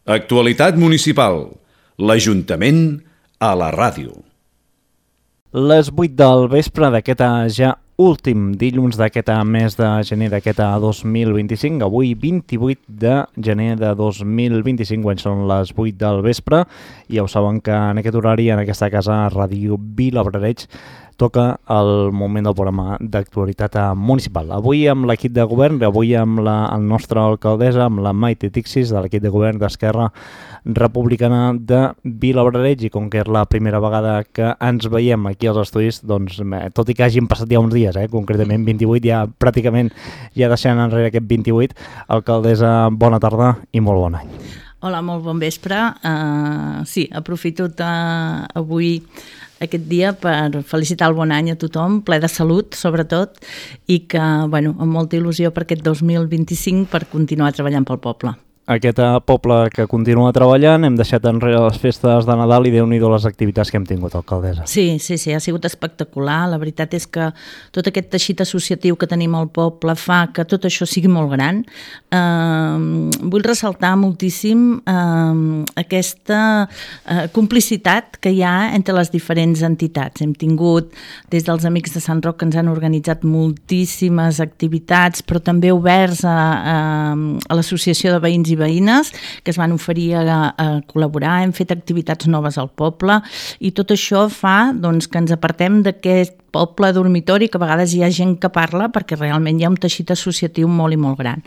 Actualitat municipal. L'Ajuntament a la ràdio. Les 8 del vespre d'aquest ja últim dilluns d'aquest mes de gener d'aquest 2025, avui 28 de gener de 2025, quan són les 8 del vespre, i ja ho saben que en aquest horari, en aquesta casa, Ràdio Vilabrareig, toca el moment del programa d'actualitat municipal. Avui amb l'equip de govern, avui amb la nostra alcaldessa, amb la Maite Tixis, de l'equip de govern d'Esquerra Republicana de Vilabrareig, i com que és la primera vegada que ens veiem aquí als estudis, doncs, tot i que hagin passat ja uns dies, concretament 28, ja pràcticament ja deixant enrere aquest 28, alcaldessa, bona tarda i molt bon any. Hola, molt bon vespre. Sí, aprofito avui aquest dia per felicitar el bon any a tothom, ple de salut, sobretot, i que, amb molta il·lusió per aquest 2025 per continuar treballant pel poble. Aquest poble que continua treballant, hem deixat enrere les festes de Nadal i Déu-n'hi-do les activitats que hem tingut, alcaldessa. Sí, ha sigut espectacular. La veritat és que tot aquest teixit associatiu que tenim al poble fa que tot això sigui molt gran. Vull ressaltar moltíssim aquesta complicitat que hi ha entre les diferents entitats. Hem tingut des dels Amics de Sant Roc, que ens han organitzat moltíssimes activitats, però també oberts a l'Associació de Veïns i Veïnes, que es van oferir a col·laborar. Hem fet activitats noves al poble i tot això fa que ens apartem d'aquest poble dormitori, que a vegades hi ha gent que parla, perquè realment hi ha un teixit associatiu molt i molt gran.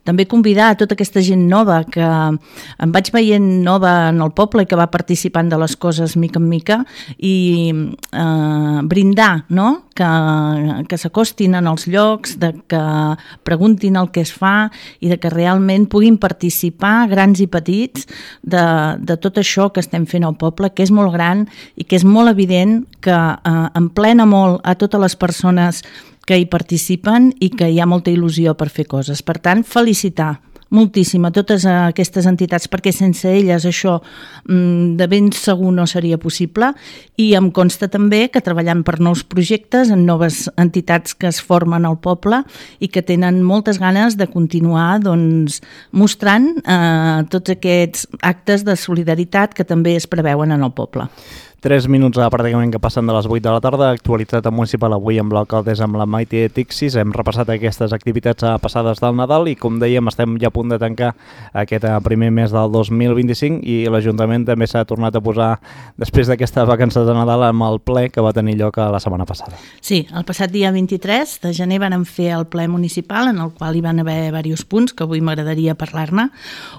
També convidar a tota aquesta gent nova que em vaig veient nova en el poble i que va participant de les coses mica en mica, i brindar, no? Que s'acostin en els llocs, que preguntin el que es fa i que realment puguin participar, grans i petits, de tot això que estem fent al poble, que és molt gran i que és molt evident que emplena molt a totes les persones que hi participen i que hi ha molta il·lusió per fer coses. Per tant, felicitar moltíssim a totes aquestes entitats, perquè sense elles això de ben segur no seria possible, i em consta també que treballant per nous projectes en noves entitats que es formen al poble i que tenen moltes ganes de continuar mostrant tots aquests actes de solidaritat que també es preveuen en el poble. 3 minuts pràcticament que passen de les 8 de la tarda, actualitat municipal avui amb l'alcaldessa, amb la Maite Tixis. Hem repassat aquestes activitats passades del Nadal i, com dèiem, estem ja a punt de tancar aquest primer mes del 2025 i l'Ajuntament també s'ha tornat a posar, després d'aquestes vacances de Nadal, amb el ple que va tenir lloc la setmana passada. Sí, el passat dia 23 de gener vam fer el ple municipal, en el qual hi van haver diversos punts que avui m'agradaria parlar-ne.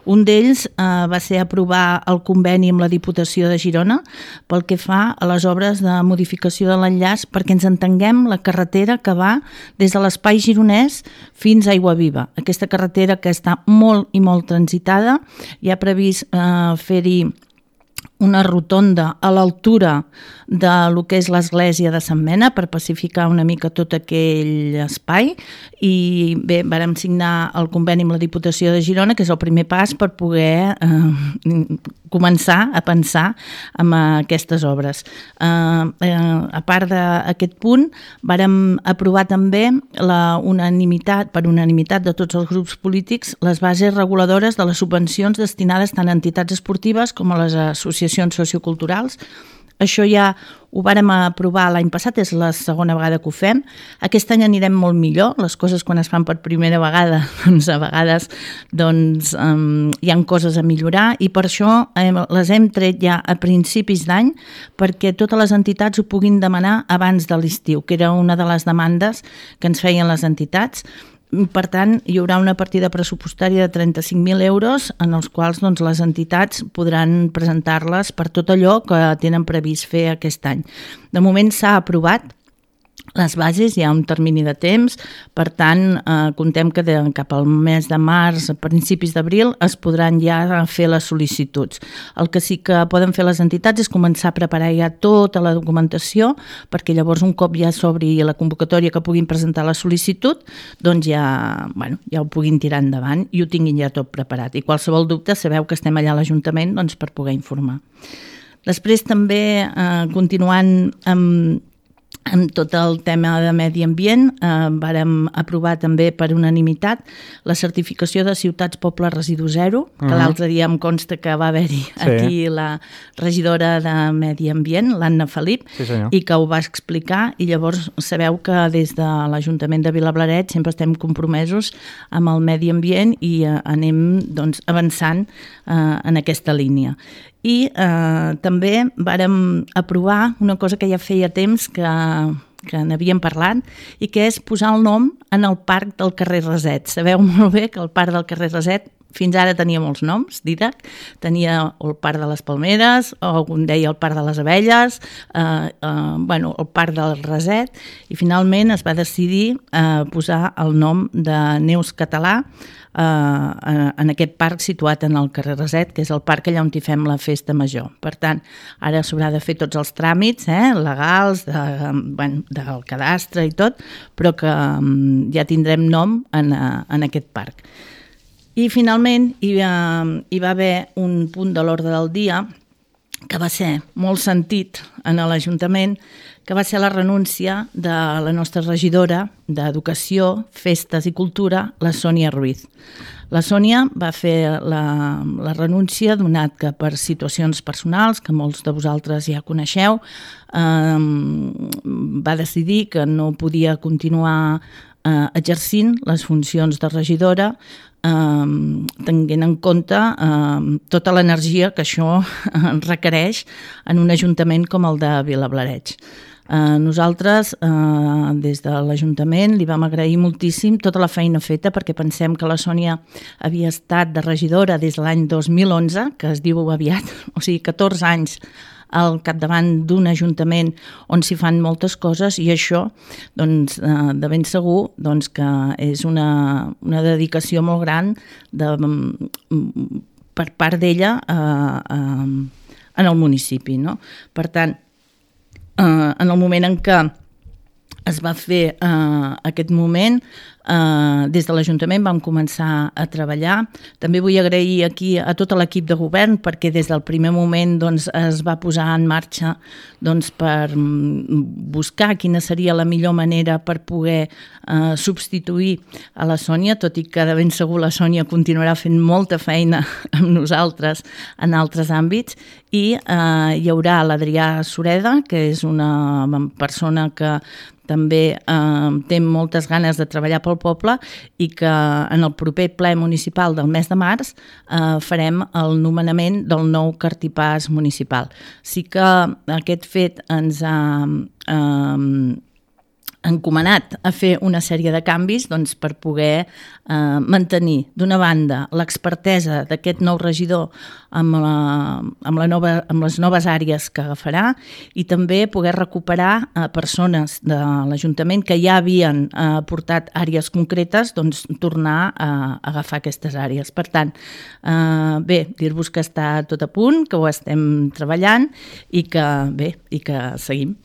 Un d'ells va ser aprovar el conveni amb la Diputació de Girona pel que fa a les obres de modificació de l'enllaç, perquè ens entenguem la carretera que va des de l'Espai Gironès fins a Aiguaviva. Aquesta carretera que està molt i molt transitada, hi ha previst fer-hi una rotonda a l'altura de lo que és l'església de Sant Mena per pacificar una mica tot aquell espai, i bé, vàrem signar el conveni amb la Diputació de Girona, que és el primer pas per poder començar a pensar en aquestes obres. A part d'aquest punt, vàrem aprovar també per unanimitat de tots els grups polítics les bases reguladores de les subvencions destinades tant a entitats esportives com a les associacions socioculturals. Això ja ho vàrem aprovar l'any passat, és la segona vegada que ho fem. Aquest any anirem molt millor. Les coses, quan es fan per primera vegada, a vegades hi ha coses a millorar, i per això les hem tret ja a principis d'any perquè totes les entitats ho puguin demanar abans de l'estiu, que era una de les demandes que ens feien les entitats. Per tant, hi haurà una partida pressupostària de 35.000 euros en els quals les entitats podran presentar-les per tot allò que tenen previst fer aquest any. De moment s'ha aprovat les bases, hi ha un termini de temps, per tant, contem que cap al mes de març, a principis d'abril, es podran ja fer les sol·licituds. El que sí que poden fer les entitats és començar a preparar ja tota la documentació, perquè llavors un cop ja s'obri la convocatòria que puguin presentar la sol·licitud, doncs ja ho puguin tirar endavant i ho tinguin ja tot preparat. I qualsevol dubte, sabeu que estem allà a l'Ajuntament per poder informar. Després també, continuant amb amb tot el tema de medi ambient, vàrem aprovar també per unanimitat la certificació de ciutats poble residu zero, que l'altre dia em consta que va haver-hi aquí la regidora de medi ambient, l'Anna Felip, i que ho va explicar, i llavors sabeu que des de l'Ajuntament de Vilablareix sempre estem compromesos amb el medi ambient i anem doncs, avançant en aquesta línia. I també vàrem aprovar una cosa que ja feia temps que n'havíem parlat i que és posar el nom en el parc del carrer Raset. Sabeu molt bé que el parc del carrer Raset fins ara tenia molts noms, Didac. Tenia el Parc de les Palmeres, o algun deia el Parc de les Abelles, el Parc del Raset, i finalment es va decidir posar el nom de Neus Català en aquest parc situat en el carrer Raset, que és el parc allà on hi fem la festa major. Per tant, ara s'haurà de fer tots els tràmits legals, del cadastre i tot, però que ja tindrem nom en aquest parc. I finalment hi va haver un punt de l'ordre del dia que va ser molt sentit en l'Ajuntament, que va ser la renúncia de la nostra regidora d'Educació, Festes i Cultura, la Sònia Ruiz. La Sònia va fer la renúncia, donat que per situacions personals, que molts de vosaltres ja coneixeu, va decidir que no podia continuar exercint les funcions de regidora, tenint en compte tota l'energia que això requereix en un ajuntament com el de Vilablareix. Nosaltres, des de l'Ajuntament, li vam agrair moltíssim tota la feina feta, perquè pensem que la Sònia havia estat de regidora des de l'any 2011, que es diu aviat, o sigui, 14 anys al capdavant d'un ajuntament on s'hi fan moltes coses, i això, doncs, de ben segur, doncs, que és una dedicació molt gran per part d'ella en el municipi, no? Per tant, en el moment en què es va fer aquest moment, des de l'Ajuntament vam començar a treballar. També vull agrair aquí a tot l'equip de govern, perquè des del primer moment es va posar en marxa per buscar quina seria la millor manera per poder substituir a la Sònia, tot i que de ben segur la Sònia continuarà fent molta feina amb nosaltres en altres àmbits, i hi haurà l'Adrià Sureda, que és una persona que també té moltes ganes de treballar pel poble, i que en el proper ple municipal del mes de març farem el nomenament del nou cartipàs municipal. Sí que aquest fet ens ha encomanat a fer una sèrie de canvis per poder mantenir, d'una banda, l'expertesa d'aquest nou regidor amb les noves àrees que agafarà, i també poder recuperar persones de l'Ajuntament que ja havien portat àrees concretes, tornar a agafar aquestes àrees. Per tant, bé, dir-vos que està tot a punt, que ho estem treballant i que seguim.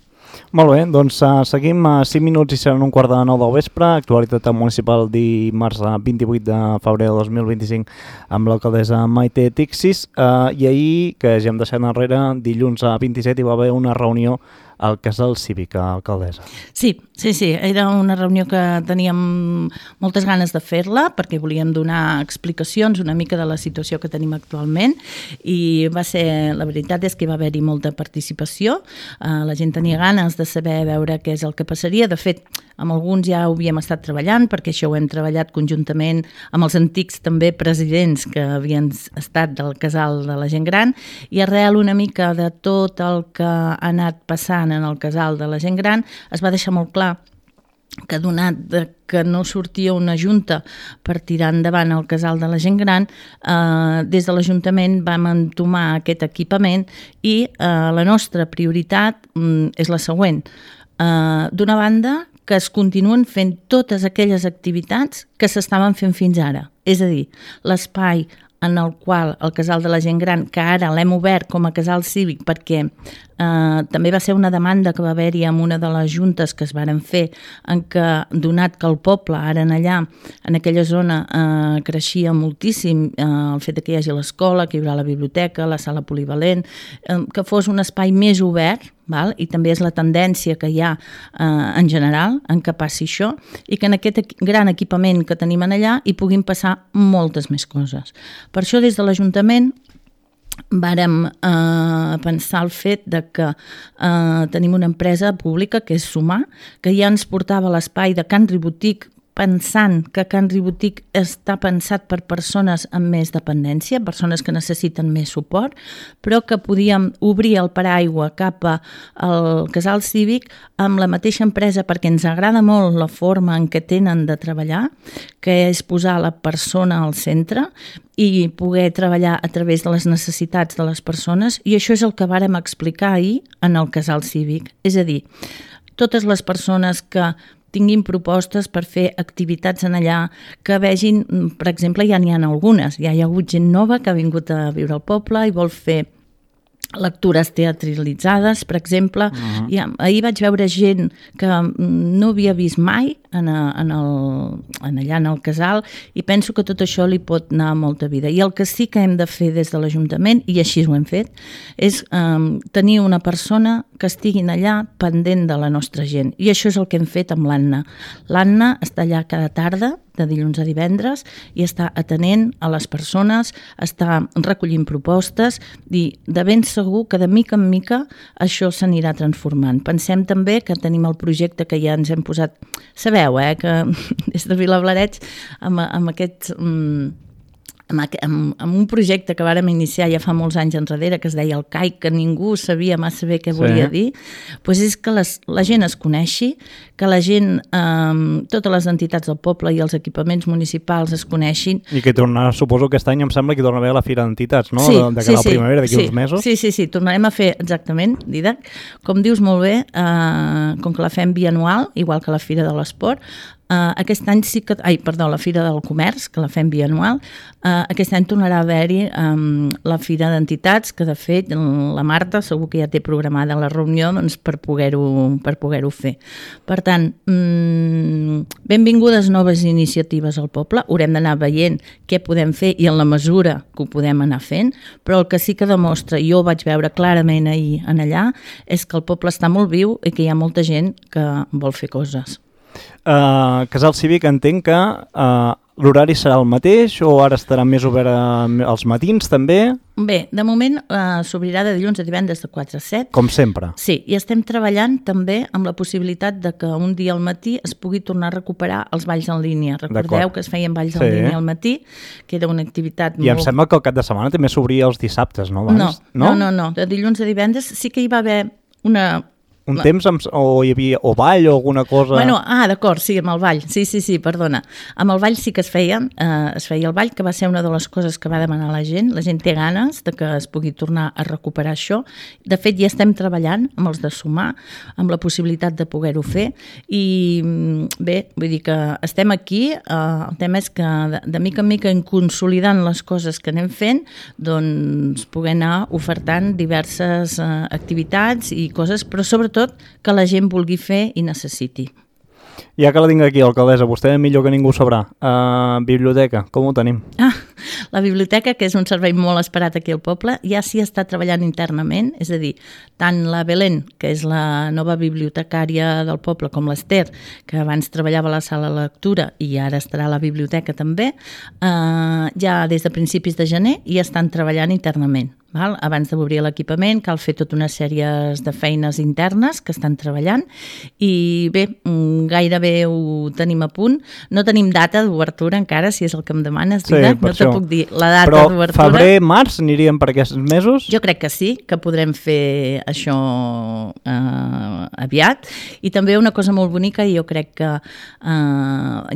Molt bé, doncs seguim a 5 minuts i seran 1:15 del vespre. Actualitat municipal dimarts 28 de febrer de 2025 amb l'alcaldessa Maite Tixis. I ahir, que ja hem deixat enrere, dilluns 27 hi va haver una reunió al Casal Cívic, alcaldessa. Sí, era una reunió que teníem moltes ganes de fer-la, perquè volíem donar explicacions una mica de la situació que tenim actualment, i la veritat és que va haver-hi molta participació. La gent tenia ganes de saber, veure què és el que passaria. De fet, amb alguns ja ho havíem estat treballant, perquè això ho hem treballat conjuntament amb els antics també presidents que havien estat del Casal de la Gent Gran, i arrel una mica de tot el que ha anat passant en el Casal de la Gent Gran, es va deixar molt clar que, donat que no sortia una junta per tirar endavant el Casal de la Gent Gran, des de l'Ajuntament vam entomar aquest equipament, i la nostra prioritat és la següent. D'una banda, que es continuen fent totes aquelles activitats que s'estaven fent fins ara. És a dir, l'espai en el qual el Casal de la Gent Gran, que ara l'hem obert com a Casal Cívic, perquè també va ser una demanda que va haver-hi en una de les juntes que es varen fer, en què, donat que el poble, ara allà, en aquella zona, creixia moltíssim el fet que hi hagi l'escola, que hi haurà la biblioteca, la sala polivalent, que fos un espai més obert, val? I també és la tendència que hi ha en general en què passi això i que en aquest gran equipament que tenim allà hi puguin passar moltes més coses. Per això des de l'Ajuntament vàrem pensar el fet de que tenim una empresa pública que és Sumar, que ja ens portava l'espai de Can Ribotic, pensant que Can Ribotic està pensat per persones amb més dependència, persones que necessiten més suport, però que podíem obrir el paraigua cap al casal cívic amb la mateixa empresa perquè ens agrada molt la forma en què tenen de treballar, que és posar la persona al centre i poder treballar a través de les necessitats de les persones, i això és el que vàrem explicar ahir en el casal cívic. És a dir, totes les persones que tinguin propostes per fer activitats en allà, que vegin, per exemple, ja n'hi ha algunes, ja hi ha hagut gent nova que ha vingut a viure al poble i vol fer lectures teatralitzades, per exemple. Ahir vaig veure gent que no havia vist mai allà en el casal, i penso que tot això li pot anar molta vida. I el que sí que hem de fer des de l'Ajuntament, i així ho hem fet, és tenir una persona que estiguin allà pendent de la nostra gent. I això és el que hem fet amb l'Anna. L'Anna està allà cada tarda, de dilluns a divendres, i està atenent a les persones, està recollint propostes, i de ben segur que de mica en mica això s'anirà transformant. Pensem també que tenim el projecte que ja ens hem posat, sabeu, que des de Vilablareix amb aquest... amb un projecte que vàrem iniciar ja fa molts anys enrere, que es deia el CAIC, que ningú sabia massa bé què volia dir, doncs és que la gent es coneixi, que la gent, totes les entitats del poble i els equipaments municipals es coneixin. I que tornarà, suposo que aquest any em sembla que torna a haver la Fira d'Entitats, no? Sí, de cara a la primavera, d'aquí uns mesos. Sí, tornarem a fer exactament, Didac. Com dius molt bé, com que la fem bianual, igual que la Fira de l'Esport, aquest any sí que... la Fira del Comerç, que la fem bianual, aquest any tornarà a haver-hi la Fira d'Entitats, que de fet la Marta segur que ja té programada la reunió doncs, per poder-ho fer. Per tant, benvingudes noves iniciatives al poble, haurem d'anar veient què podem fer i en la mesura que ho podem anar fent, però el que sí que demostra, i jo ho vaig veure clarament ahir en allà, és que el poble està molt viu i que hi ha molta gent que vol fer coses. Casal Cívic, entenc que l'horari serà el mateix o ara estarà més obert als matins també? Bé, de moment s'obrirà de dilluns a divendres de 4 a 7. Com sempre. Sí, i estem treballant també amb la possibilitat de que un dia al matí es pugui tornar a recuperar els balls en línia. Recordeu que es feien balls en línia al matí, que era una activitat molt... I em sembla que el cap de setmana també s'obria els dissabtes, no? No. De dilluns a divendres sí que hi va haver un temps o hi havia o ball o alguna cosa... Bueno, d'acord, sí, amb el ball. Sí, perdona. Amb el ball sí que es feia el ball, que va ser una de les coses que va demanar la gent. La gent té ganes de que es pugui tornar a recuperar això. De fet, ja estem treballant amb els de Sumar, amb la possibilitat de poder-ho fer. I bé, vull dir que estem aquí. El tema és que de mica en mica, en consolidant les coses que anem fent, doncs poder anar ofertant diverses activitats i coses, però sobretot que la gent vulgui fer i necessiti. Ja que la tinc aquí, alcaldessa, vostè millor que ningú sabrà. Biblioteca, com ho tenim? La biblioteca, que és un servei molt esperat aquí al poble, ja s'hi està treballant internament, és a dir, tant la Belén, que és la nova bibliotecària del poble, com l'Ester, que abans treballava a la sala de lectura i ara estarà a la biblioteca també, ja des de principis de gener ja estan treballant internament. Abans d'obrir l'equipament cal fer tota una sèrie de feines internes que estan treballant i bé, gairebé ho tenim a punt. No tenim data d'obertura encara, si és el que em demanes, Didac, no te puc dir la data d'obertura. Però febrer, març aniríem per aquests mesos? Jo crec que sí, que podrem fer això aviat. I també una cosa molt bonica, i jo crec que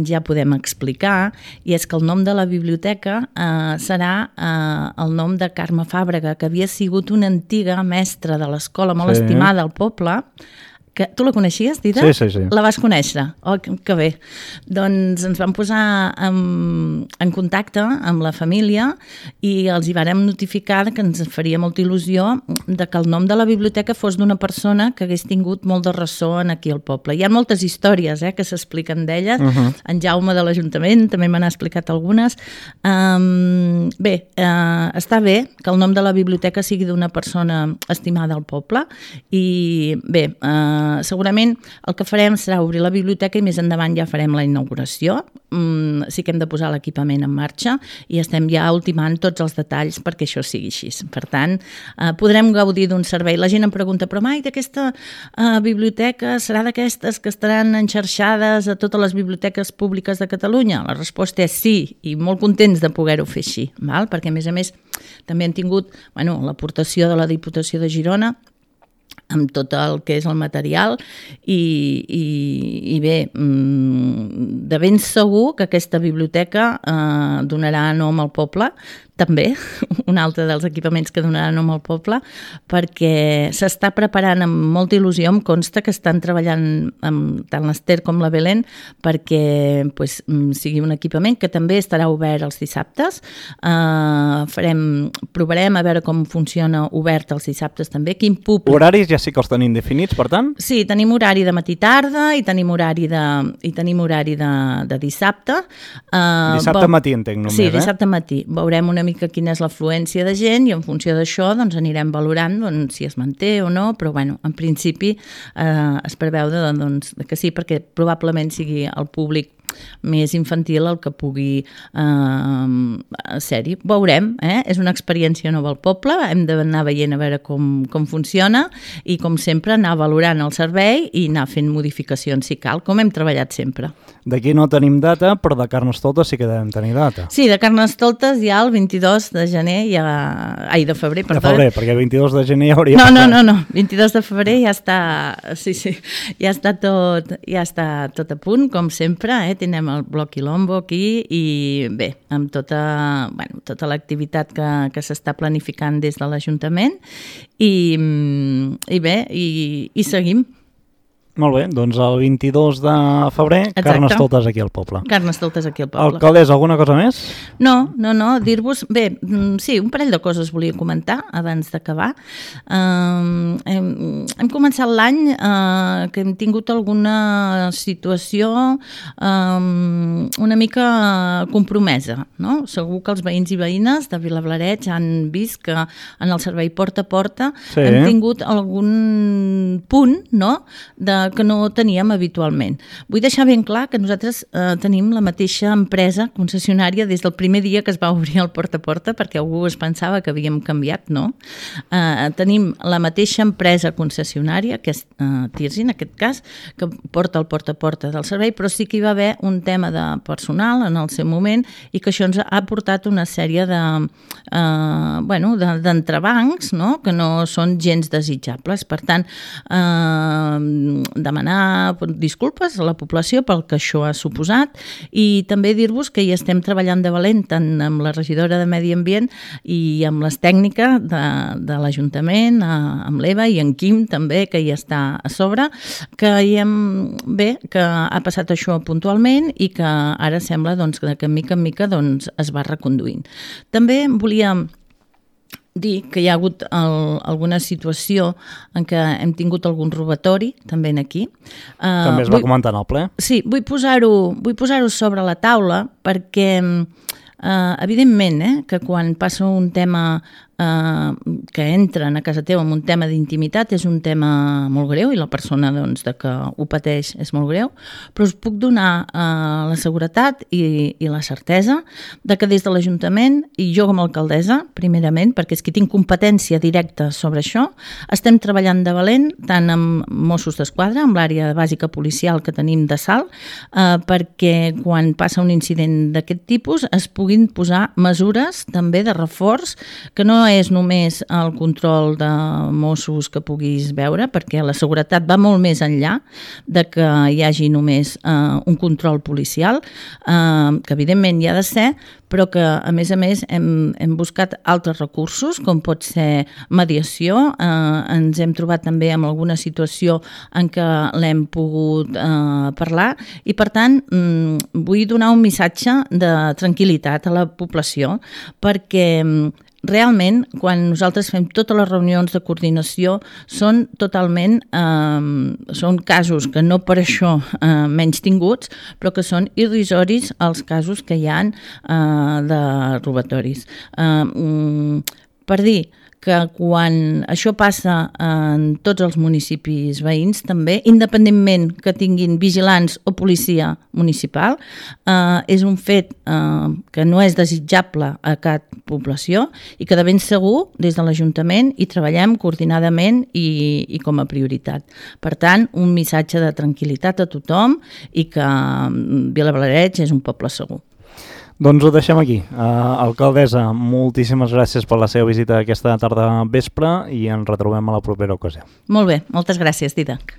ja podem explicar, i és que el nom de la biblioteca serà el nom de Carme Fàbrega, que havia sigut una antiga mestra de l'escola molt estimada al poble, Tu la coneixies, Dida? Sí. La vas conèixer? Oh, que bé. Doncs ens vam posar en contacte amb la família i els hi vàrem notificar que ens faria molta il·lusió de que el nom de la biblioteca fos d'una persona que hagués tingut molt de ressò aquí al poble. Hi ha moltes històries que s'expliquen d'elles. En Jaume de l'Ajuntament també me n'ha explicat algunes. Està bé que el nom de la biblioteca sigui d'una persona estimada al poble i bé, segurament el que farem serà obrir la biblioteca i més endavant ja farem la inauguració. Sí que hem de posar l'equipament en marxa i estem ja ultimant tots els detalls perquè això sigui així. Per tant, podrem gaudir d'un servei. La gent em pregunta, però mai d'aquesta biblioteca serà d'aquestes que estaran enxarxades a totes les biblioteques públiques de Catalunya? La resposta és sí, i molt contents de poder-ho fer així, perquè a més també hem tingut l'aportació de la Diputació de Girona amb tot el que és el material i bé, de ben segur que aquesta biblioteca donarà nom al poble, també, un altre dels equipaments que donarà nom al poble, perquè s'està preparant amb molta il·lusió, em consta que estan treballant amb tant l'Ester com la Belén perquè sigui un equipament que també estarà obert els dissabtes. Provarem a veure com funciona obert els dissabtes també, quin públic... Horaris ja sí que els tenim definits, per tant? Sí, tenim horari de matí-tarda i tenim horari de dissabte. Dissabte matí, entenc, només, Sí, dissabte matí. Veurem una mica quina és l'afluència de gent i en funció d'això anirem valorant si es manté o no, però en principi es preveu que sí, perquè probablement sigui el públic més infantil el que pugui ser-hi. Veurem, és una experiència nova al poble, hem d'anar veient a veure com funciona i com sempre anar valorant el servei i anar fent modificacions si cal, com hem treballat sempre. D'aquí no tenim data, però de Carnestoltes sí que devem tenir data. Sí, de Carnestoltes ja el 22 de gener, de febrer, perdó. De febrer, perquè el 22 de gener ja hauria... No, 22 de febrer ja està, ja està tot a punt, com sempre, tenim el Bloc Quilombo aquí i bé, amb tota l'activitat que s'està planificant des de l'Ajuntament i seguim. Molt bé, doncs el 22 de febrer, Carnestoltes aquí al poble. Carnestoltes aquí al poble. Alcaldessa, alguna cosa més? No, dir-vos... Bé, sí, un parell de coses volia comentar abans d'acabar. Hem començat l'any que hem tingut alguna situació una mica compromesa, no? Segur que els veïns i veïnes de Vilablareix han vist que en el servei porta a porta hem tingut algun punt, no?, que no teníem habitualment. Vull deixar ben clar que nosaltres tenim la mateixa empresa concessionària des del primer dia que es va obrir el porta a porta, perquè algú es pensava que havíem canviat, no? Tenim la mateixa empresa concessionària, que és Tirsi, en aquest cas, que porta el porta a porta del servei, però sí que hi va haver un tema de personal en el seu moment i que això ens ha portat una sèrie d'entrebancs, no?, que no són gens desitjables. Per tant, demanar disculpes a la població pel que això ha suposat i també dir-vos que hi estem treballant de valent tant amb la regidora de Medi Ambient i amb les tècniques de l'Ajuntament, amb l'Eva i en Quim també, que hi està a sobre, que ha passat això puntualment i que ara sembla que mica en mica es va reconduint. També volia dir que hi ha hagut alguna situació en què hem tingut algun robatori, també aquí. També es va comentar en el ple. Sí, vull posar-ho sobre la taula perquè, evidentment, que quan passa un tema que entren a casa teva amb un tema d'intimitat és un tema molt greu i la persona de que ho pateix és molt greu, però us puc donar la seguretat i la certesa de que des de l'Ajuntament i jo com a alcaldessa, primerament, perquè és que tinc competència directa sobre això, estem treballant de valent tant amb Mossos d'Esquadra, amb l'àrea bàsica policial que tenim de Salt, perquè quan passa un incident d'aquest tipus es puguin posar mesures també de reforç que no és només el control de Mossos que puguis veure, perquè la seguretat va molt més enllà de que hi hagi només un control policial, que evidentment hi ha de ser, però que a més hem buscat altres recursos, com pot ser mediació. Ens hem trobat també en alguna situació en què l'hem pogut parlar i, per tant, vull donar un missatge de tranquil·litat a la població, perquè realment, quan nosaltres fem totes les reunions de coordinació, són totalment són casos que no per això menys tinguts, però que són irrisoris els casos que hi ha de robatoris. Per dir que quan això passa en tots els municipis veïns també, independentment que tinguin vigilants o policia municipal, és un fet que no és desitjable a cap població i que de ben segur des de l'Ajuntament hi treballem coordinadament i com a prioritat. Per tant, un missatge de tranquil·litat a tothom i que Vilablareix és un poble segur. Doncs ho deixem aquí. Alcaldessa, moltíssimes gràcies per la seva visita aquesta tarda vespre i ens retrobem a la propera ocasió. Molt bé, moltes gràcies, Didac.